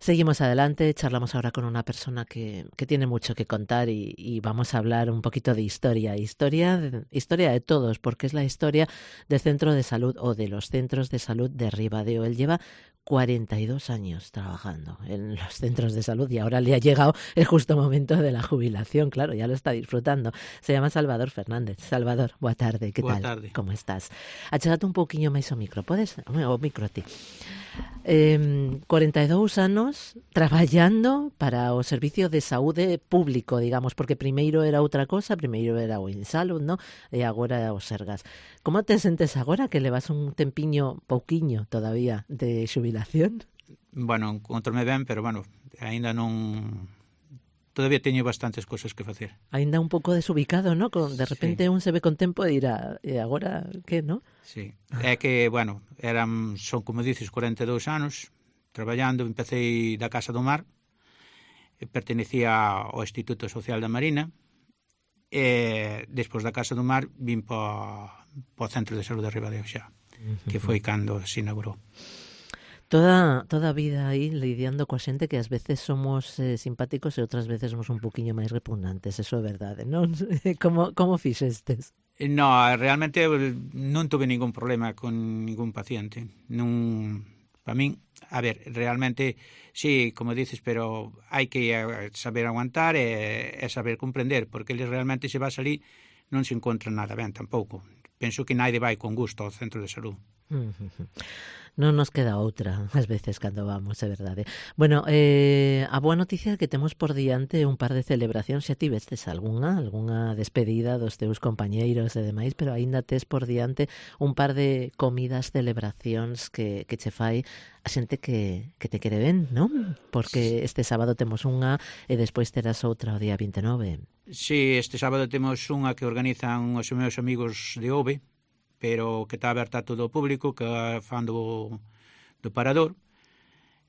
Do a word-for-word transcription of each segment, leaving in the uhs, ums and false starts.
Seguimos adelante, charlamos ahora con una persona que, que tiene mucho que contar y, y vamos a hablar un poquito de historia, historia de, historia de todos, porque es la historia del centro de salud o de los centros de salud de Ribadeo. Él lleva cuarenta y dos años trabajando en los centros de salud y ahora le ha llegado el justo momento de la jubilación, claro, ya lo está disfrutando. Se llama Salvador Fernández. Salvador, boa tarde, que Boa tal? tarde. Como estás? Achégate un pouquiño máis o micro, podes? O micro a ti. Eh, cuarenta e dous anos traballando para o servicio de saúde público, digamos, porque primeiro era outra cosa, primeiro era o Insalud, no? E agora o Sergas. Como te sentes agora que levas un tempiño pouquiño todavía de xubilación? Bueno, encontrome ben, pero bueno, aínda non... Todavía teño bastantes cosas que facer. Ainda un pouco desubicado, ¿no? Con, de repente sí. Un se ve con tempo e dirá, e agora que, no? Sí, é que, bueno, eran, son, como dices, cuarenta e dous anos traballando, empecé da Casa do Mar, pertenecía ao Instituto Social da Marina, e despois da Casa do Mar vim para o Centro de Saúde de Ribadeo xa, que foi cando se inaugurou. Toda, toda a vida aí lidiando coa xente que ás veces somos eh, simpáticos e outras veces somos un poquinho máis repugnantes, eso é verdade, non? Como, como fixestes? No, realmente non tuve ningún problema con ningún paciente. Non, para min, a ver, realmente, sí, como dices, pero hai que saber aguantar e, e saber comprender, porque eles realmente se vas ali non se encontra nada ben tampouco. Penso que naide vai con gusto ao centro de salud. Non nos queda outra, ás veces, cando vamos, é verdade. Bueno, eh, a boa noticia é que temos por diante un par de celebracións, xa tivestes algunha, algunha despedida dos teus compañeiros e demais, pero aínda tes por diante un par de comidas, celebracións que, que che fai a xente que, que te quere ben, non? Porque este sábado temos unha e despois terás outra o día vinte e nove. Sí, este sábado temos unha que organizan os meus amigos de O V E, pero que está aberta a todo o público, que fan do, do parador.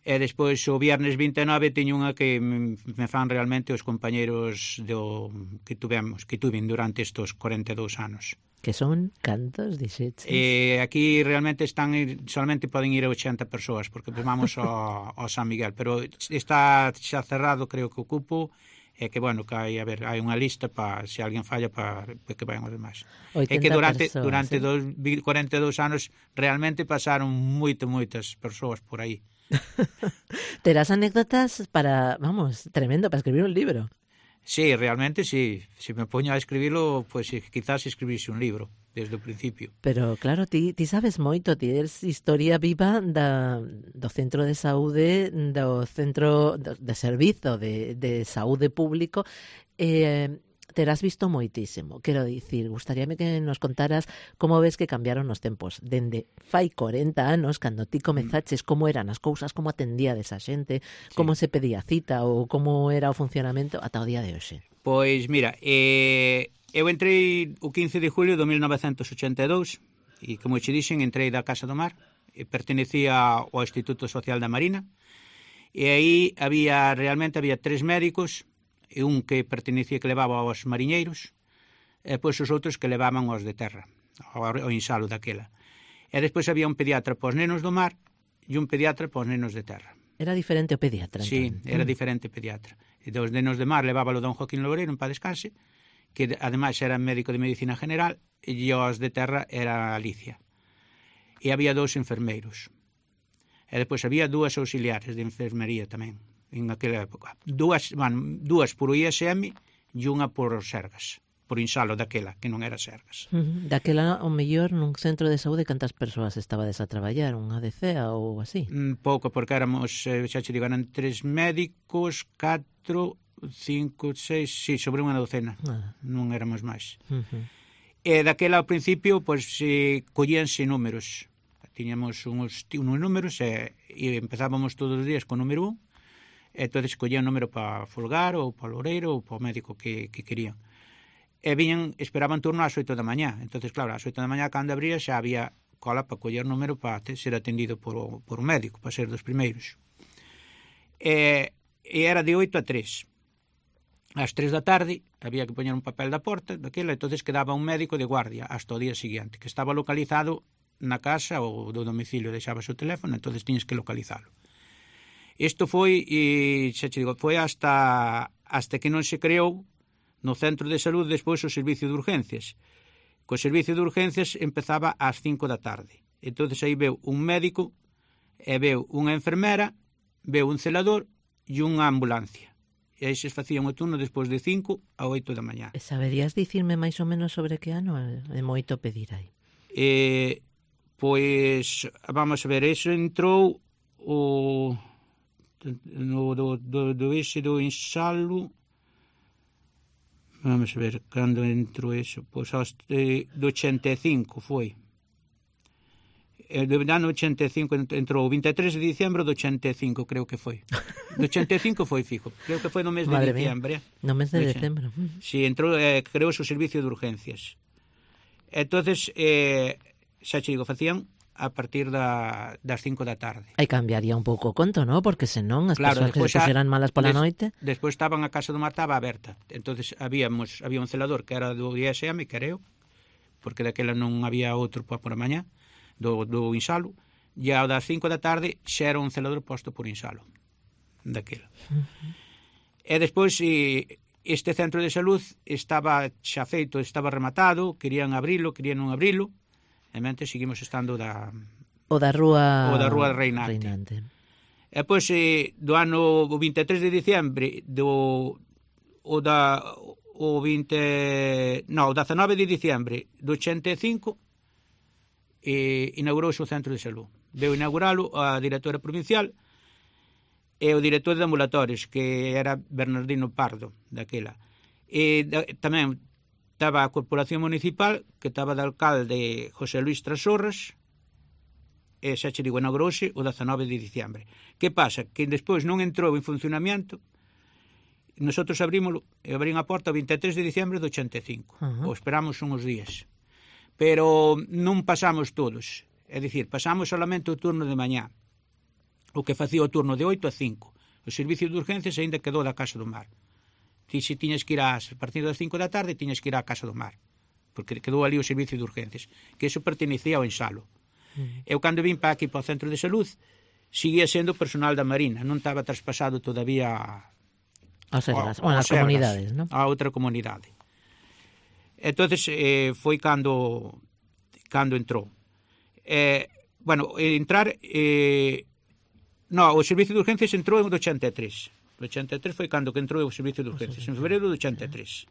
E despois o viernes vinte e nove teño unha que me fan realmente os compañeros do, que tuvemos, que tuven durante estes cuarenta e dous anos. Que son cantos, dixeches? E aquí realmente están, solamente poden ir oitenta persoas, porque vamos ao, ao San Miguel, pero está xa cerrado, creo que o cupo, é que, bueno, que hai, a ver, hai unha lista para, se alguén falla, para, para que vayan os demais. É que durante, persoas, durante ¿sí? dos, cuarenta e dous anos realmente pasaron moito, moitas persoas por aí. Terás anécdotas para, vamos, tremendo, para escribir un libro. Sí, realmente sí. Se me poño a escribirlo, pues quizás escribirse un libro desde o principio. Pero claro, ti, ti sabes moito, ti eres historia viva da, do centro de saúde, do centro do, de servizo de, de saúde público, eh, terás visto moitísimo. Quero dicir, gustaríame que nos contaras como ves que cambiaron os tempos. Dende fai cuarenta anos, cando ti comezaches, como eran as cousas, como atendíades a xente, sí. Como se pedía cita ou como era o funcionamento ata o día de hoxe. Pois, mira, eh, eu entrei o quince de julio de mil novecentos ochenta e dous e, como che dixen, entrei da Casa do Mar, e pertenecía ao Instituto Social da Marina, e aí había, realmente había tres médicos, e un que pertenecía, que levaba aos mariñeiros, e depois os outros que levaban aos de terra, ao, ao insalo daquela. E despois había un pediatra para os nenos do mar e un pediatra para os nenos de terra. Era diferente o pediatra, Sí, entón. era Mm. diferente o pediatra. E dos nenos de mar levábalo don Joaquín Loureiro, en paz descanse, que ademais era médico de medicina general, e os de terra era Alicia. E había dous enfermeiros. E depois había dúas auxiliares de enfermería tamén, en aquela época. Dúas, bueno, dúas por o I S M e unha por Sergas, por insalo daquela, que non era Sergas. Uh-huh. Daquela, o mellor, nun centro de saúde, cantas persoas estabades a traballar? Unha D C A ou así? Mm, pouco, porque éramos, eh, xa che digo, eran tres médicos, catro, cinco, seis, sí, sobre unha docena. Ah. Non éramos máis. Uh-huh. E daquela, ao principio, pois, eh, collíanse números. Tiñamos uns, uns números e, e empezábamos todos os días con o número un, e entón collían número para Folgar ou para Loureiro ou para o médico que, que querían. E viñan, esperaban turno ás oito da mañá. Entón, claro, ás oito da mañá, cando abría, xa había cola para coller número para ser atendido por o, por o médico, para ser dos primeiros. E, e era de oito a tres. Ás tres da tarde había que poñer un papel da porta daquela, entón quedaba un médico de guardia hasta o día seguinte, que estaba localizado na casa ou do domicilio, deixabas o teléfono, entón tiñes que localizalo. Isto foi, e xa che digo, foi hasta hasta que non se creou no centro de salud despois o servicio de urgencias. Co servicio de urgencias empezaba ás cinco da tarde. Entón, aí veu un médico, e veu unha enfermera, veu un celador e unha ambulancia. E aí se facían o turno despois de cinco a oito da mañá. E saberías dicirme máis ou menos sobre que ano? É moito pedir aí. E, pois, vamos a ver, eso entrou o no, do, do, do ese do Insalo, vamos a ver, cando entrou eso, pois de, do ochenta e cinco foi. E do ano ochenta e cinco entrou o vinte e tres de diciembre do ochenta e cinco, creo que foi. Do ochenta e cinco foi fijo, creo que foi no mes de Madre diciembre. Mía. No mes de decembro. Si, sí, entrou, eh, creou o servicio de urgencias. Entonces, eh, xa che digo, facían a partir da, das cinco da tarde. Aí cambiaría un pouco o conto, non? Porque senón as claro, persoas que se puxeran malas pola des, noite... Despois estaban a Casa do Mar, estaba aberta. Entonces habíamos, había un celador que era do I S M, creo, porque daquela non había outro por a mañá, do, do Insalo, e ao das cinco da tarde xa era un celador posto por Insalo, daquela. Uh-huh. E despois... E, este centro de salud estaba xa feito, estaba rematado, querían abrilo, querían non abrilo, e mente seguimos estando da o da rúa o da rúa Reinante. Reinante. E pois eh, do ano vinte e tres de diciembre do o da o vinte, no, o dezanove de diciembre do ochenta e cinco eh, inaugurouse o centro de salud. Veu inauguralo a directora provincial e o director de ambulatorios, que era Bernardino Pardo, daquela. E da, tamén estaba a Corporación Municipal, que estaba de alcalde José Luis Trasorras, e xa che digo, inaugurouse o dezanove de diciembre. Que pasa? Que despois non entrou en funcionamento, nosotros abrímoslo, e abrín a porta o vinte e tres de diciembre do ochenta e cinco. Uh-huh. O esperamos uns días. Pero non pasamos todos. É dicir, pasamos solamente o turno de mañá, o que facía o turno de oito a cinco. O servicio de urgencias ainda quedou da Casa do Mar. Ti se tiñas que ir ás, a partir das cinco da tarde, tiñas que ir á Casa do Mar, porque quedou ali o servicio de urgencias, que eso pertenecía ao Insalo. Mm. Eu, cando vim para aquí, para o centro de salud, seguía sendo personal da Marina, non estaba traspasado todavía a Sergas, ou as comunidades, non? A outra comunidade. Entonces eh, foi cando cando entrou. Eh, bueno, entrar... Eh, No, o servicio de urgencias entrou en ochenta e tres. O ochenta e tres foi cando que entrou o servicio de urgencias, en febrero do ochenta e tres.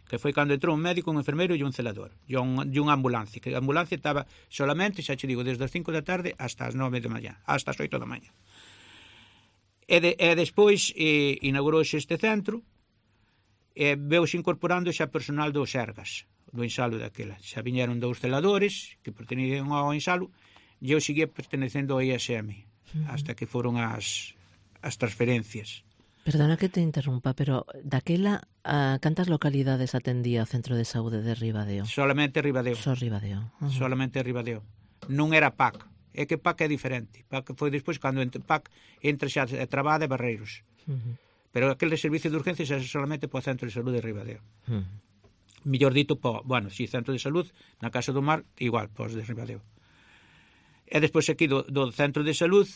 Que foi cando entrou un médico, un enfermeiro e un celador. E un, unha ambulancia. Que a ambulancia estaba solamente, xa che digo, desde as cinco da tarde hasta as nove da mañá, hasta as oito da mañá. E, de, e despois eh, inaugurouse este centro, e veuse incorporando xa personal do Sergas, do Insalo daquela. Xa viñeron dous celadores que pertenecían ao Insalo, e eu seguía pertenecendo ao I S M. Hasta que foron as, as transferencias. Perdona que te interrumpa, pero daquela a cantas localidades atendía o Centro de Saúde de Ribadeo? Solamente Ribadeo. Só Ribadeo. Uh-huh. Solamente Ribadeo. Non era P A C. É que P A C é diferente. P A C foi despois cando entre P A C entra xa a Trabada e Barreiros. Uh-huh. Pero aquele servicio de urgencias é solamente para o Centro de Saúde de Ribadeo. Uh-huh. Millor dito, pa, bueno, si Centro de Salud, na Casa do Mar, igual, para os de Ribadeo. E despois aquí do, do Centro de Salud,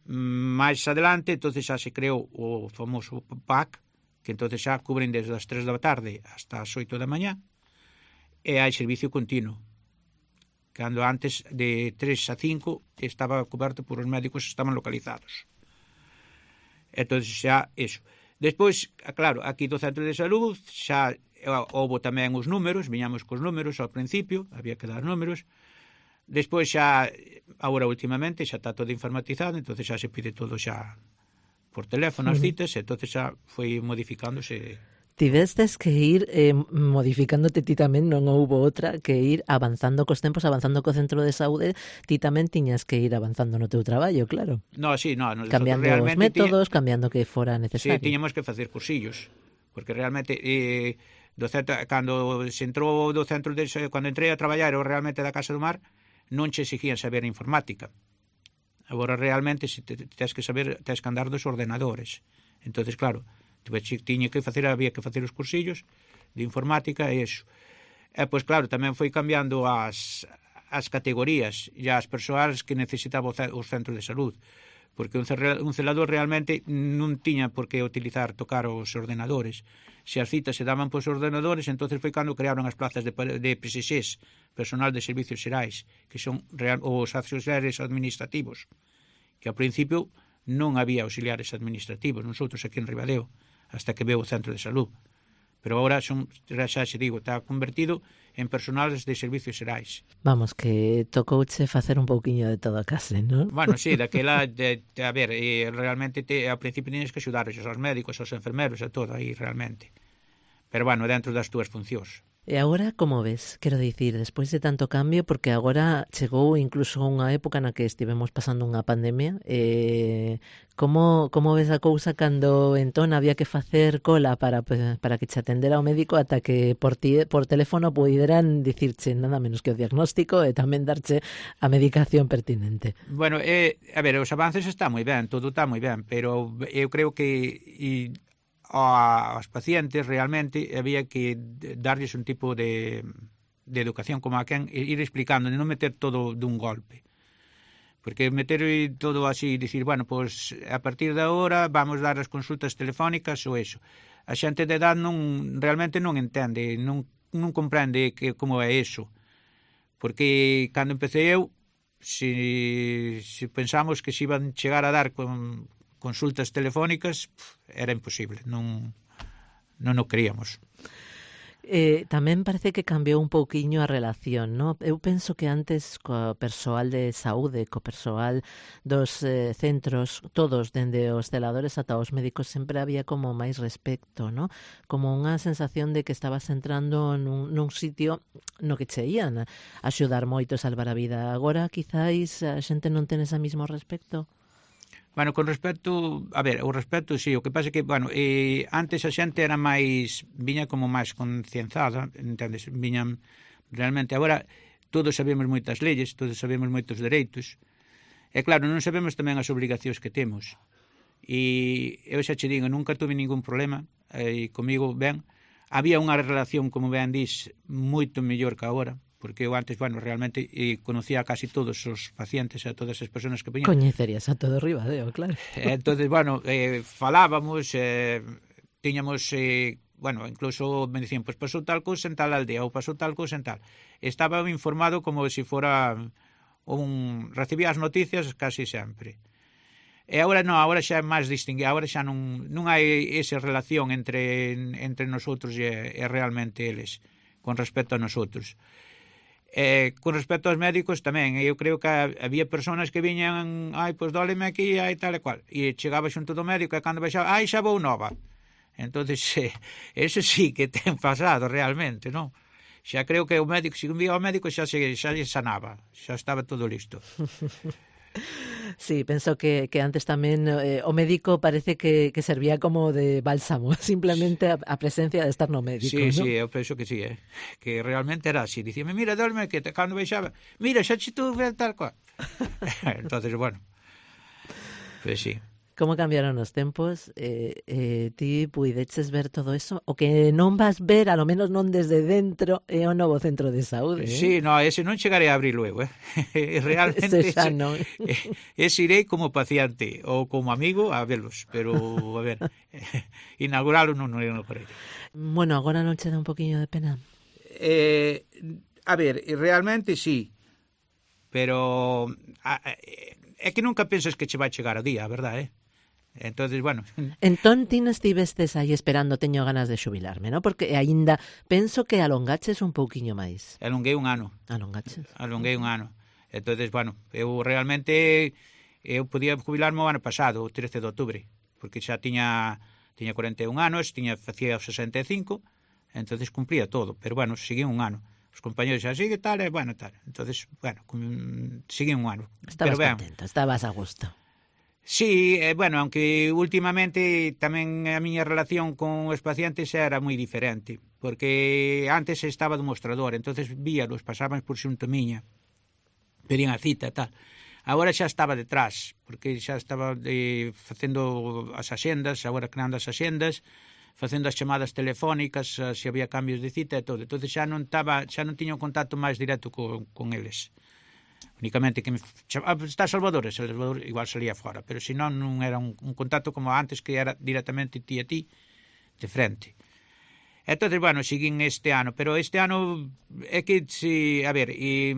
máis adelante, entonces xa se creou o famoso P A C, que entonces xa cubren desde as tres da tarde hasta as oito da mañá, e hai servicio continuo. Cando antes de tres a cinco estaba coberto por os médicos que estaban localizados. Entonces xa, eso. Despois, claro, aquí do Centro de Salud xa houve tamén os números, viñamos cos números ao principio, había que dar números. Despois xa, agora últimamente, xa está todo informatizado, entonces xa se pide todo xa por teléfono as citas, e entonces xa foi modificándose. Tivestes que ir eh, modificándote ti tamén, non houbo outra que ir avanzando cos tempos, avanzando co centro de saúde, ti tamén tiñas que ir avanzando no teu traballo, claro. No, sí, no, cambiando os métodos, tiña... cambiando que fora necesario. Sí, tiñamos que facer cursillos, porque realmente eh, do centro, cando se entrou do centro de, cando entrei a traballar eu realmente da Casa do Mar, non che exigían saber informática. Agora realmente se te, tens que saber, tens que andar dos ordenadores. Entonces, claro, tiña que facer, había que facer os cursillos de informática e iso. E pois claro, tamén foi cambiando as as categorías e as persoas que necesitaba os centros de salud, porque un, un celador realmente non tiña por que utilizar, tocar os ordenadores. Se as citas se daban pos ordenadores, entonces foi cando crearon as plazas de, de P S Xs, personal de servicios xerais, que son real, os auxiliares administrativos, que ao principio non había auxiliares administrativos, nosotros aquí en Ribadeo, hasta que veo o centro de salud. Pero agora son, xa xe digo, está convertido en personales de servicios xerais. Vamos, que tocouche facer un pouquiño de todo a case, non? Bueno, sí, daquela, de, de, a ver, eh, realmente te, ao principio tenías que axudar aos médicos, aos enfermeros, a todo aí, realmente. Pero, bueno, dentro das túas funcións. E agora, como ves? Quero dicir, despois de tanto cambio, porque agora chegou incluso unha época na que estivemos pasando unha pandemia, eh, como, como ves a cousa cando entón había que facer cola para, para que che atendera o médico ata que por, ti, por teléfono puderan dicirche nada menos que o diagnóstico e tamén darche a medicación pertinente? Bueno, eh, a ver, os avances está moi ben, todo está moi ben, pero eu creo que... E, aos pacientes realmente había que darlles un tipo de, de educación como a quen ir explicando, non meter todo dun golpe, porque meter todo así, dicir, bueno, pues a partir de agora vamos dar as consultas telefónicas ou eso, a xente de edad non, realmente non entende, non, non comprende que, como é eso, porque cando empecé eu, se, se pensamos que se iban chegar a dar con consultas telefónicas, era imposible, non, non o creíamos. Eh, tamén parece que cambiou un pouquiño a relación, non? Eu penso que antes co persoal de saúde, co persoal dos eh, centros, todos, dende os celadores ata os médicos, sempre había como máis respecto, non? Como unha sensación de que estabas entrando nun, nun sitio no que che ían a axudar moito a salvar a vida. Agora, quizáis, a xente non ten ese mismo respecto? Bueno, con respecto, a ver, o respecto, sí, o que pasa é que, bueno, eh, antes a xente era máis, viña como máis concienciada, entendes, viñan realmente, agora todos sabemos moitas leyes, todos sabemos moitos dereitos, e claro, non sabemos tamén as obligacións que temos, e eu xa che digo, nunca tuve ningún problema, e comigo, ben, había unha relación, como ben dis, moito mellor que agora, porque eu antes, bueno, realmente eh, conocía a casi todos os pacientes, a todas as persoas que veñan. Coñecerías a todo Ribadeo, claro. Entonces, bueno, eh, falábamos, eh, tiñamos, eh, bueno, incluso me dicían, pues pasou tal cousa en tal aldea, ou pasou tal cousa en tal. Estaba informado como se fora un... recibía as noticias casi sempre. E agora non, agora xa é máis distinguido, agora xa non, non hai esa relación entre, entre nosotros e, e realmente eles, con respecto a nosotros. Eh, con respecto aos médicos tamén, eu creo que había personas que viñan, ai, pois dóleme aquí, ai, tal e cual, e chegaba xunto do médico e cando baixaba, ai, xa vou nova. Entonces, eh, eso sí que ten pasado realmente, non? Xa creo que o médico, se un vía ao médico xa se xa sanaba, xa estaba todo listo. Sí, penso que, que antes tamén eh, o médico parece que, que servía como de bálsamo, simplemente a, a presencia de estar no médico, sí, ¿no? Sí, eu penso que sí, eh? Que realmente era así. Dicíame, mira, dóleme que te, cando baixaba, mira, xa che tú tal cual. Entonces, bueno, pues sí. Como cambiaron os tempos, eh, eh, ti puideches ver todo eso, o que non vas ver, a lo menos non desde dentro, é o novo centro de saúde, eh? Sí, no, ese non chegarei a abrilo eu, eh? Realmente ese xa non. Ese irei como paciente ou como amigo a velos, pero, a ver, inauguralo non, non, non farei. Bueno, agora non che dá un poquinho de pena? Eh, a ver, realmente sí, pero a, a, é que nunca pensas que che vai chegar o día, a verdade, eh? Entonces, bueno. Entón, ti non estivestes aí esperando, teño ganas de xubilarme, non? Porque aínda penso que alongaches un pouquiño máis. Alonguei un ano. Alongaches. Alonguei un ano. Entonces, bueno, eu realmente eu podía jubilarme o ano pasado, o trece de outubro, porque xa tiña tiña cuarenta e un anos, tiña facía sesenta e cinco, entonces cumplía todo, pero bueno, seguí un ano. Os compañeros xa sigue tal, e bueno, tal. Entonces, bueno, seguí un ano. Estabas pero, contento, estabas a gusto. Sí, eh, bueno, aunque últimamente tamén a miña relación con os pacientes era moi diferente, porque antes estaba do mostrador, entonces víalos, pasaban por xunto miña, pedían a cita e tal. Agora xa estaba detrás, porque xa estaba eh, facendo as axendas, agora creando as axendas, facendo as chamadas telefónicas, se había cambios de cita e todo. Entonces xa non estaba, xa non tiña un contacto máis directo con, con eles. Únicamente que me chamaba, está Salvador, e Salvador igual salía fora, pero se non, non era un, un contacto como antes, que era directamente ti a ti, de frente. Entón, bueno, seguín este ano, pero este ano é que, si, a ver, e,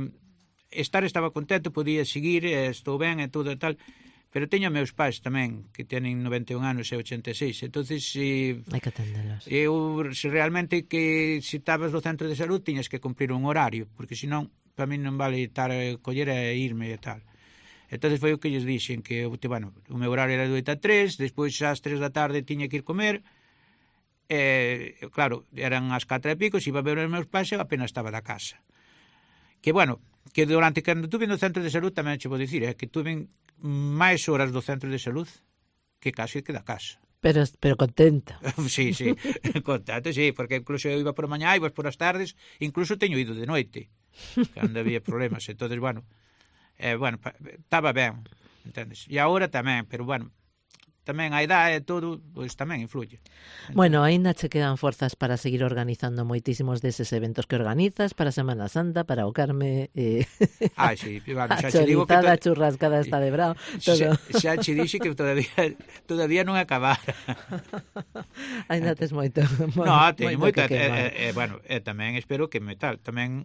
estar estaba contento, podía seguir, estou ben e todo e tal, pero teño meus pais tamén, que teñen noventa e un anos e ochenta e seis, entonces se, hai que atendelos. Eu, se realmente que se estabas do centro de salud tiñas que cumprir un horario, porque senón para mí non vale estar a coller e irme e tal. Entonces foi o que lles dixen, que bueno, o meu horario era de oito a tres, despois ás tres da tarde tiña que ir comer, e claro, eran as catro e pico, se iba a ver os meus pais, eu apenas estaba da casa. Que bueno, que durante cando tuve no centro de salud tamén che vou dicir, é que tuve máis horas do centro de salud que casi que da casa. Pero, pero contenta. Sí, sí, contento, sí, porque incluso eu iba por a mañá, iba por as tardes, incluso teño ido de noite, cando había problemas, entonces, bueno, eh, bueno, estaba ben, entendes? E agora tamén, pero, bueno, tamén a idade e todo, pois tamén influye. Entón, bueno, aínda che quedan forzas para seguir organizando moitísimos deses eventos que organizas para Semana Santa, para o Carme, eh, ah, sí, bueno, a chorizada, to... churrascada esta de brao, todo. Xa, xa che dixe que todavía todavía non acabara. Aínda tes moito. No, teño moito, e, e, bueno, e tamén espero que me tal, tamén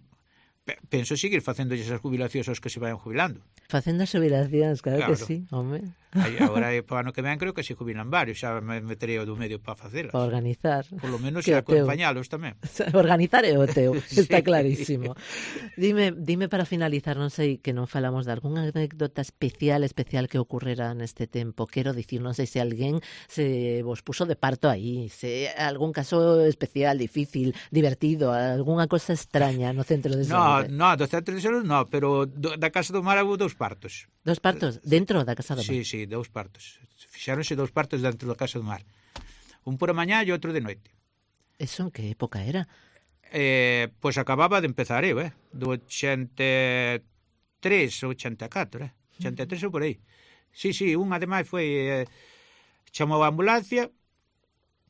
penso seguir facendo esas jubilacións aos que se vayan jubilando. Facendo as jubilacións, claro, claro que sí, home. Agora, para ano que ven, creo que se jubilan varios, xa me meterei o do medio para facelas. Para organizar. Por lo menos xa acompañalos tamén. Organizar é o teu, está sí, clarísimo. Dime, dime para finalizar, non sei, que non falamos de algunha anécdota especial, especial que ocorrera neste tempo. Quero dicir, non sei se alguén se vos puso de parto aí, se algún caso especial, difícil, divertido, algunha cosa extraña no centro de salud. No, no, do centro de salud no, pero do, da Casa do Mar houve dous partos. Dos partos? Dentro da Casa do Mar? Sí, sí, dous partos. Fixáronse dous partos dentro da Casa do Mar. Un por a mañá e outro de noite. Eso en que época era? Eh, pois acababa de empezar eu, eh? Do ochenta e tres ou ochenta e catro, eh? ochenta e tres ou por aí. Sí, sí, un ademais foi... Eh, chamou a ambulancia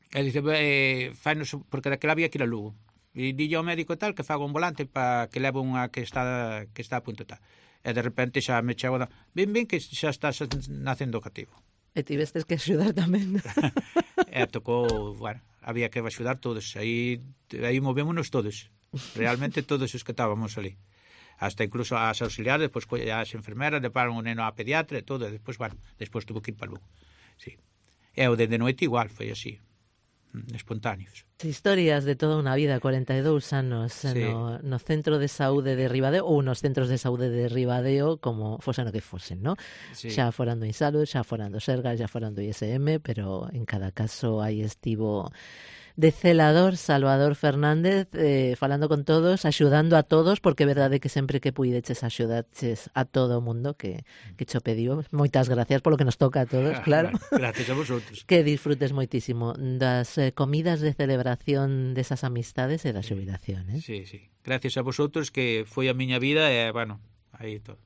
e dice, eh, fainos, porque daquela había que ir a Lugo. E dille ao médico tal que faga un volante para que leve unha que está que está a punto tal. E de repente xa me chego, ben, ben, que xa estás nacendo cativo. E tivestes que axudar tamén. E tocou, bueno, había que axudar todos. Aí, aí movémonos todos. Realmente todos os que estábamos ali. Hasta incluso as auxiliares, despois as enfermeras, levaron o neno á pediatra e todo. E despois, bueno, despois tuvo que ir para Lugo. Sí. E o de, de noite igual, foi así. Espontáneos. Historias de toda unha vida, corenta e dous anos sí. no, no centro de saúde de Ribadeo ou nos centros de saúde de Ribadeo, como fosen o que fosen, ¿no? Sí. Xa foran do Insalud, xa foran do Sergas, xa foran do I S M, pero en cada caso aí estivo de celador Salvador Fernández, eh, falando con todos, axudando a todos, porque é verdade que sempre que puideches axudaches a todo o mundo que, que cho pediu. Moitas gracias polo que nos toca a todos, claro. Gracias a vosotros. Que disfrutes moitísimo das eh, comidas de celebración desas amistades e da xubilación, eh? Sí, sí. Gracias a vosotros, que foi a miña vida e, bueno, aí todo.